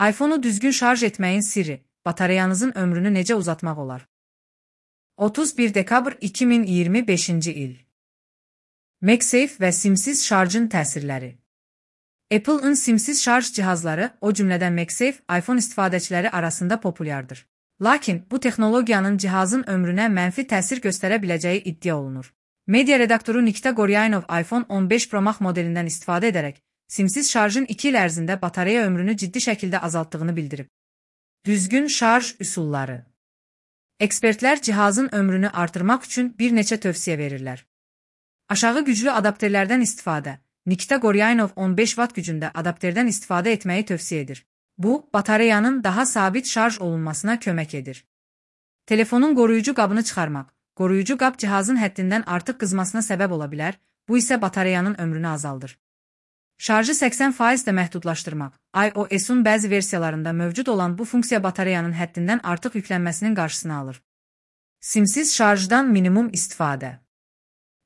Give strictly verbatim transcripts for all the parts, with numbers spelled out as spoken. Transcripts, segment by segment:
iPhone-u düzgün şarj etməyin sirri, batareyanızın ömrünü necə uzatmaq olar? otuz bir dekabr iki min iyirmi beşinci il. MagSafe və simsiz şarjın təsirləri. Apple-ın simsiz şarj cihazları, o cümlədən MagSafe, iPhone istifadəçiləri arasında populyardır. Lakin bu texnologiyanın cihazın ömrünə mənfi təsir göstərə biləcəyi iddia olunur. Media redaktoru Nikita Goryanov iPhone on beş Pro Max modelindən istifadə edərək, simsiz şarjın iki il ərzində batareya ömrünü ciddi şəkildə azaltdığını bildirib. Düzgün şarj üsulları. Ekspertlər cihazın ömrünü artırmaq üçün bir neçə tövsiyə verirlər. Aşağı güclü adapterlərdən istifadə. Nikita Goryanov on beş watt gücündə adapterdən istifadə etməyi tövsiyə edir. Bu, batareyanın daha sabit şarj olunmasına kömək edir. Telefonun qoruyucu qabını çıxarmaq. Qoruyucu qab cihazın həddindən artıq qızmasına səbəb ola bilər, bu isə batareyanın ömrünü azaldır. Şarjı səksən faiz də məhdudlaşdırmaq. iOS-un bəzi versiyalarında mövcud olan bu funksiya batareyanın həddindən artıq yüklənməsinin qarşısını alır. Simsiz şarjdan minimum istifadə.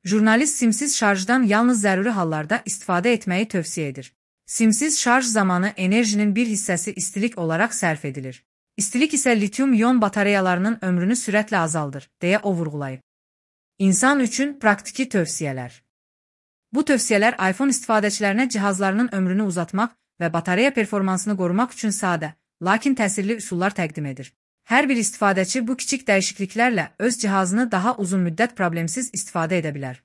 Jurnalist simsiz şarjdan yalnız zəruri hallarda istifadə etməyi tövsiyə edir. Simsiz şarj zamanı enerjinin bir hissəsi istilik olaraq sərf edilir. İstilik isə lityum-ion batareyalarının ömrünü sürətlə azaldır, deyə o vurğulayıb. İnsan üçün praktiki tövsiyələr. Bu tövsiyələr iPhone istifadəçilərinə cihazlarının ömrünü uzatmaq və batareya performansını qorumaq üçün sadə, lakin təsirli üsullar təqdim edir. Hər bir istifadəçi bu kiçik dəyişikliklərlə öz cihazını daha uzun müddət problemsiz istifadə edə bilər.